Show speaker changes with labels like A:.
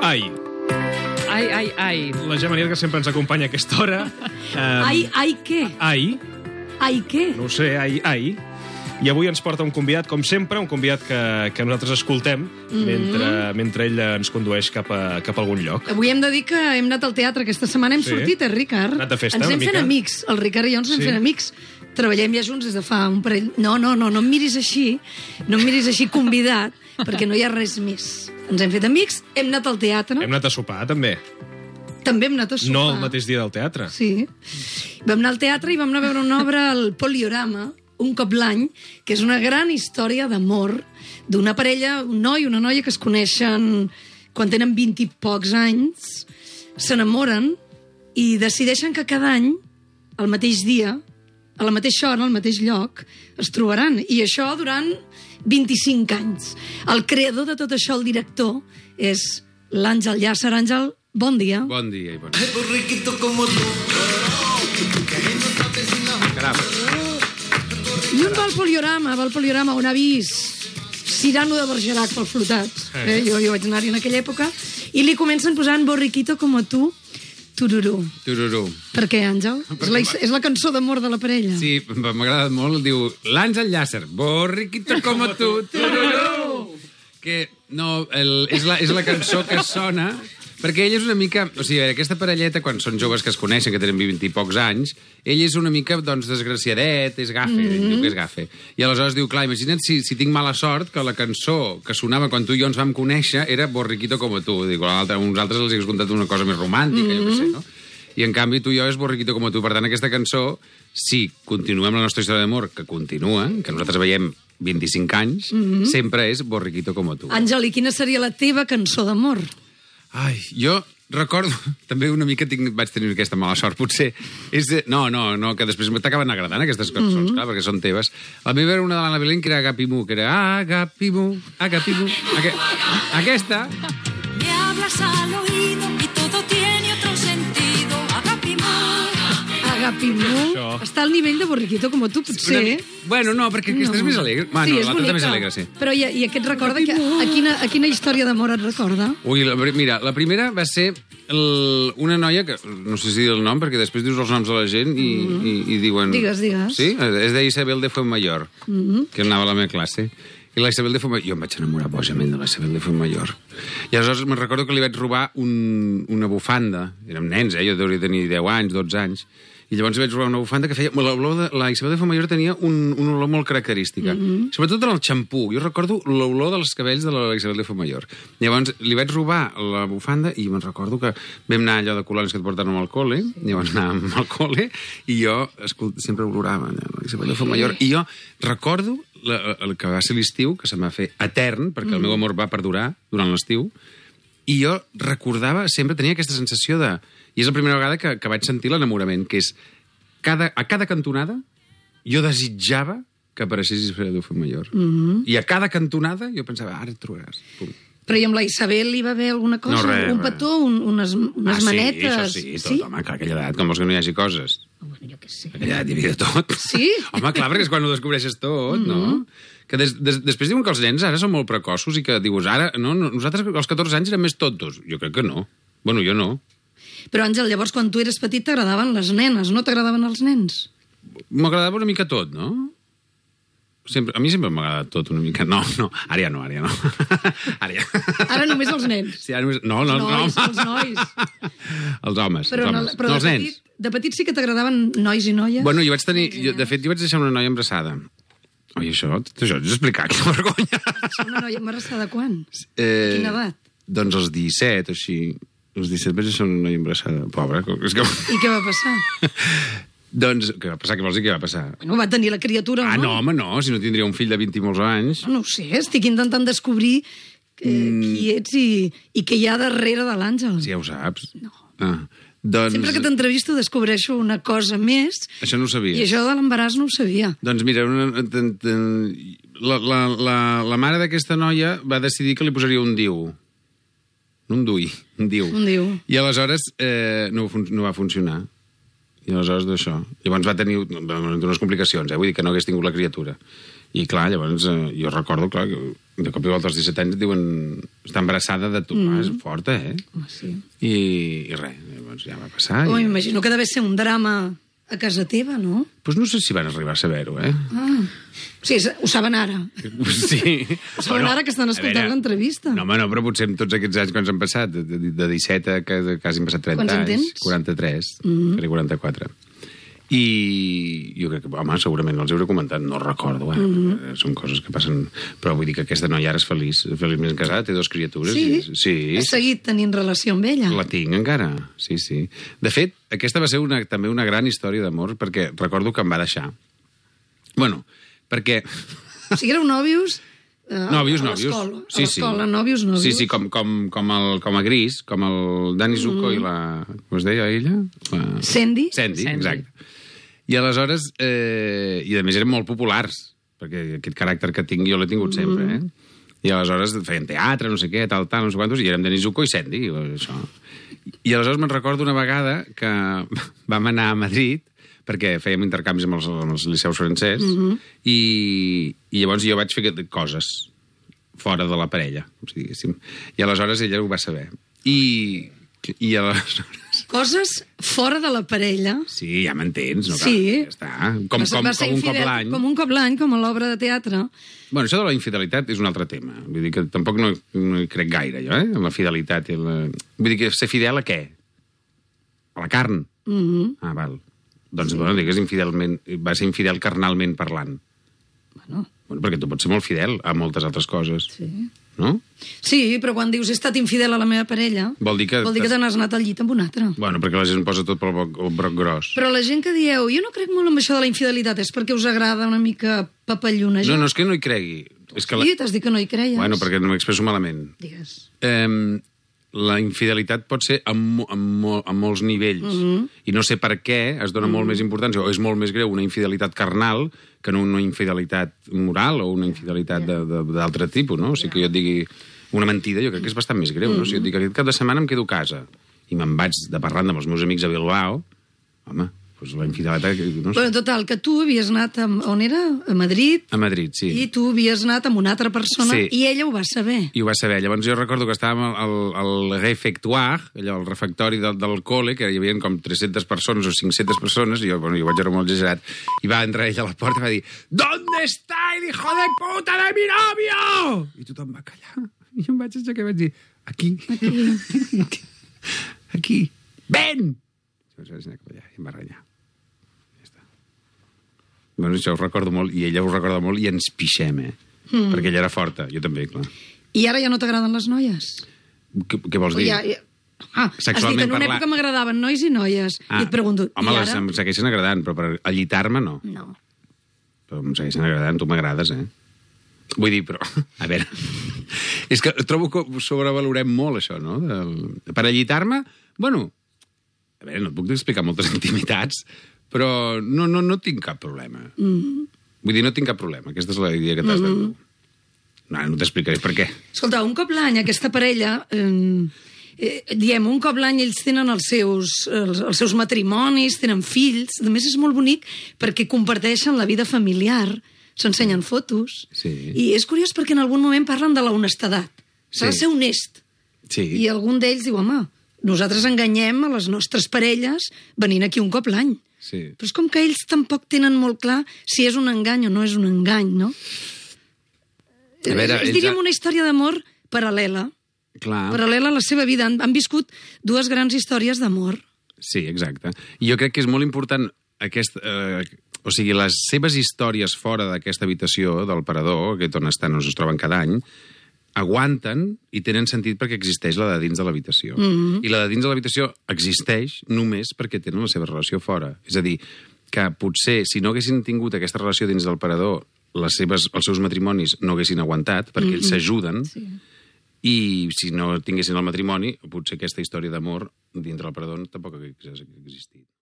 A: Ai.
B: Ai.
A: La Gemma Nierga sempre ens acompanya a aquesta hora.
C: Ai, què?
A: Ai.
C: Ai, què?
A: No ho sé, ai. I avui ens porta un convidat, com sempre, un convidat que nosaltres escoltem mentre ell ens condueix cap a algun lloc.
C: Avui hem de dir que hem anat al teatre aquesta setmana, hem sortit, Ricard?
A: Anat de festa,
C: ens
A: una
C: hem
A: mica.
C: fent amics, el Ricard i jo ens hem fent amics. Treballem ja junts des de fa un parell... No em miris així, convidat, perquè no hi ha res més. Ens hem fet amics, hem anat al teatre.
A: Hem anat a sopar, també.
C: També hem anat a sopar.
A: No el mateix dia del teatre.
C: Sí. Vam anar al teatre i vam anar a veure una obra al Poliorama, un cop l'any, que és una gran història d'amor d'una parella, un noi i una noia que es coneixen quan tenen 20 i pocs anys, s'enamoren i decideixen que cada any, al mateix dia, a la mateixa hora, al mateix lloc, es trobaran. I això durant 25 anys. El creador de tot això, el director, és l'Àngel Llàcer. Àngel, bon dia.
D: Bon dia i bon dia. Caram.
C: I un va al Poliorama, on ha vist Cyrano de Bergerac pels flotats. Jo vaig anar-hi en aquella època. I li comencen posant Borriquito como tú, tururú.
D: Tururú.
C: Per què, Àngel? És la cançó d'amor de la parella.
D: Sí, m'ha agradat molt. Diu, l'Àngel Llàcer, borriquito como tú, tururú. Que, no, és la cançó que sona... Perquè ell és una mica... O sigui, aquesta parelleta, quan són joves que es coneixen, que tenen 20 i pocs anys, ell és una mica, doncs, desgraciadet, és gafe, diu que és gafe. I aleshores diu, clar, imagina't si tinc mala sort que la cançó que sonava quan tu i jo ens vam conèixer era Borriquito como tú. Dic, uns altres els hagués contat una cosa més romàntica, jo què sé, no? I, en canvi, tu i jo és Borriquito como tú. Per tant, aquesta cançó, si continuem la nostra història d'amor, que continua, que nosaltres veiem 25 anys, sempre és Borriquito como tú.
C: Àngel, i quina seria la teva cançó d'amor?
D: Ai, jo recordo... També una mica vaig tenir aquesta mala sort, potser. No, que després t'acaben agradant aquestes cançons, clar, perquè són teves. La meva era una de l'Anna Belén, que era Agapimu, que era Agapimu. Aquesta...
E: Me hablas al oído y todo tiene otro sentido. Agapimu.
C: Agapimu. Està al nivell de Borriquito como tú, potser.
D: Bueno, no, perquè aquesta és més alegre.
C: Sí, és
D: l'altra
C: bonica.
D: també és alegre, sí.
C: Però i aquest recorda... A quina història d'amor et recorda?
D: Ui, mira, la primera va ser una noia que... No sé si dir el nom, perquè després dius els noms de la gent i diuen...
C: Digues.
D: Sí? Es deia Isabel de Fuenmayor, que anava a la meva classe. I la Isabel de Fuenmayor... Jo em vaig enamorar bojament de la Isabel de Fuenmayor. I aleshores me'n recordo que li vaig robar una bufanda. Érem nens, jo hauria de tenir 10 anys, 12 anys. I llavors li vaig robar una bufanda que feia... La Isabel de Fuenmayor tenia una olor molt característica. Sobretot en el xampú. Jo recordo l'olor dels cabells de la Isabel de Fuenmayor. Llavors li vaig robar la bufanda i me'n recordo que vam anar allò de colònies que et porten al col·le. Llavors anàvem al col·le i jo sempre olorava la Isabel de Fuenmayor. I jo recordo el que va ser l'estiu, que se'm va fer etern, perquè el meu amor va perdurar durant l'estiu, i jo recordava, sempre tenia aquesta sensació de... I és la primera vegada que vaig sentir l'enamorament, que és a cada cantonada jo desitjava que apareixés Isabel de Fuenmayor. I a cada cantonada jo pensava, ara et trobaràs. Pum.
C: Però i amb la Isabel hi va haver alguna cosa?
D: No, res,
C: un petó, unes manetes?
D: Sí, això sí, tot, home, clar, aquella edat, com vols que no hi hagi coses?
C: Bueno, jo què sé.
D: Aquella edat hi havia de tot.
C: Sí?
D: Home, clar, perquè és quan ho descobreixes tot, no? Que després diuen que els nens ara són molt precoços i que dius, ara, no, nosaltres als 14 anys érem més tontos. Jo crec que no. Bueno, jo no.
C: Però, Àngel, llavors, quan tu eres petit t'agradaven les nenes, no t'agradaven els nens?
D: M'agradava una mica tot, no? A mi sempre m'ha agradat tot una mica. No, ara ja no. Ara ja.
C: Ara només els nens.
D: Sí, ara només... No.
C: Els nois.
D: Els homes.
C: Però
D: els nens.
C: De petit sí que t'agradaven nois i noies?
D: Bueno, de fet, jo vaig deixar una noia embarassada. Oi, això t'ho has d'explicar, quina vergonya.
C: Una noia embarassada quan? Quina edat?
D: Doncs als 17, així. Als 17 vaig deixar una noia embarassada. Pobra.
C: I què va passar?
D: Doncs, què va passar? Què vols dir que va passar?
C: Bueno, va tenir la criatura, no?
D: No, home, no. Si no tindria un fill de 20 i molts anys.
C: No ho sé, estic intentant descobrir qui ets i què hi ha darrere de l'Àngel.
D: Sí, ja ho saps.
C: No.
D: Doncs...
C: Sempre que t'entrevisto descobreixo una cosa més.
D: Això no ho sabies.
C: I això de l'embaràs no ho sabia.
D: Doncs mira, la mare d'aquesta noia va decidir que li posaria un diu. Un diu. I aleshores no va funcionar. I aleshores d'això. Llavors va tenir unes complicacions, vull dir que no hagués tingut la criatura. I clar, llavors jo recordo, clar, que de cop i volta als 17 anys et diuen està embarassada de tu, és forta,
C: Sí.
D: I res, llavors ja va passar.
C: M'imagino que deve ser un drama a casa teva, no?
D: Pues no sé si van arribar a saber-ho,
C: Sí, ho saben ara.
D: Sí.
C: Ho saben ara que estan escoltant l'entrevista.
D: No, home, no, però potser en tots aquests anys quan s'han passat, de 17 a quasi han passat 30
C: Quants en
D: anys.
C: tens?
D: 43, faré 44. I jo crec que, home, segurament no els hauré comentat, no recordo, són coses que passen, però vull dir que aquesta noia ara és feliçment casada, té 2 criatures.
C: Sí? Has seguit tenint relació amb ella?
D: La tinc encara, sí. De fet, aquesta va ser també una gran història d'amor, perquè recordo que em va deixar. Bueno, perquè...
C: O sigui, éreu nòvios...
D: Nòvios.
C: A l'escola, nòvios.
D: Sí, com a Gris, com el Dani Zuko i la... Com es deia ella?
C: Sandy,
D: exacte. I aleshores, i a més eren molt populars, perquè aquest caràcter que tinc jo l'he tingut sempre, I aleshores feien teatre, no sé què, tal, no sé quantos, i érem Dani Zuko i Sandy, això. I aleshores me'n recordo una vegada que vam anar a Madrid, perquè fèiem intercanvis amb els liceus francès, i llavors jo vaig fer coses fora de la parella, diguéssim. I aleshores ella ho va saber. I aleshores...
C: Coses fora de la parella.
D: Sí, ja m'entens, no?
C: Sí.
D: Ja està. Com un cop l'any.
C: Com un cop l'any, com a l'obra de teatre.
D: Bueno, això de la infidelitat és un altre tema. Vull dir que tampoc no hi crec gaire, jo, en la fidelitat. Vull dir que ser fidel a què? A la carn? Ah, val. Doncs, bueno, digues va ser infidel carnalment parlant. Bueno, perquè tu pots ser molt fidel a moltes altres coses.
C: Sí.
D: No?
C: Sí, però quan dius he estat infidel a la meva parella,
D: vol dir que
C: te n'has anat al llit amb un altre.
D: Bueno, perquè la gent posa tot pel broc gros.
C: Però la gent que dieu, jo no crec molt en això de la infidelitat, és perquè us agrada una mica papallonejar.
D: No, és que no hi cregui.
C: Sí, t'has dit que no hi creies.
D: Bueno, perquè no m'expresso malament.
C: Digues.
D: La infidelitat pot ser a molts nivells. I no sé per què es dona molt més importància, o és molt més greu una infidelitat carnal que no una infidelitat moral o una infidelitat d'altre tipus, no? O sigui, que jo et digui una mentida, jo crec que és bastant més greu, no? Si jo et dic aquest cap de setmana em quedo a casa i me'n vaig de parranda amb els meus amics a Bilbao, home, doncs la infidelitat... No sé.
C: Bueno, total, que tu havies anat on era? A Madrid?
D: A Madrid, sí.
C: I tu havies anat amb una altra persona i ella ho va saber.
D: I ho va saber. Llavors jo recordo que estàvem al refectoire, allò, al refectori del col·le, que hi havia com 300 persones o 500 persones, i jo vaig veure molt exagerat, i va entrar ella a la porta i va dir ¿Dónde está el hijo de puta de mi novio? I tothom va callar. I jo em vaig aixecar i vaig dir Aquí. Ven! I vaig anar cap allà i em va renyar. Bueno, això ho recordo molt, i ella ho recorda molt, i ens pixem, perquè ella era forta, jo també, clar.
C: I ara ja no t'agraden les noies?
D: Què vols dir?
C: Has dit, en una època m'agradaven nois i noies, i et pregunto,
D: home,
C: i ara?
D: Em segueixen agradant, però per allitar-me no.
C: No.
D: Però em segueixen agradant, tu m'agrades, Vull dir, però, a veure, és que trobo que sobrevalorem molt això, no? Per allitar-me, bueno, a veure, no et puc explicar moltes intimitats, però no tinc cap problema. Vull dir, no tinc cap problema. Aquesta és la idea que t'has de dur. No t'explicaré per què.
C: Escolta, un cop l'any aquesta parella, diem, un cop l'any ells tenen els seus matrimonis, tenen fills, a més és molt bonic perquè comparteixen la vida familiar, s'ensenyen fotos, i és curiós perquè en algun moment parlen de la honestedat. S'ha de ser honest. I algun d'ells diu, home, nosaltres enganyem a les nostres parelles venint aquí un cop l'any. Però és com que ells tampoc tenen molt clar si és un engany o no és un engany, no? Diríem una història d'amor paral·lela. Paral·lela a la seva vida. Han viscut 2 grans històries d'amor.
D: Sí, exacte. I jo crec que és molt important o sigui, les seves històries fora d'aquesta habitació del parador, on estan, on es troben cada any, aguanten i tenen sentit perquè existeix la de dins de l'habitació. I la de dins de l'habitació existeix només perquè tenen la seva relació fora. És a dir, que potser si no haguessin tingut aquesta relació dins del parador, els seus matrimonis no haguessin aguantat perquè ells s'ajuden, i si no tinguessin el matrimoni, potser aquesta història d'amor dintre del parador tampoc hagués existit.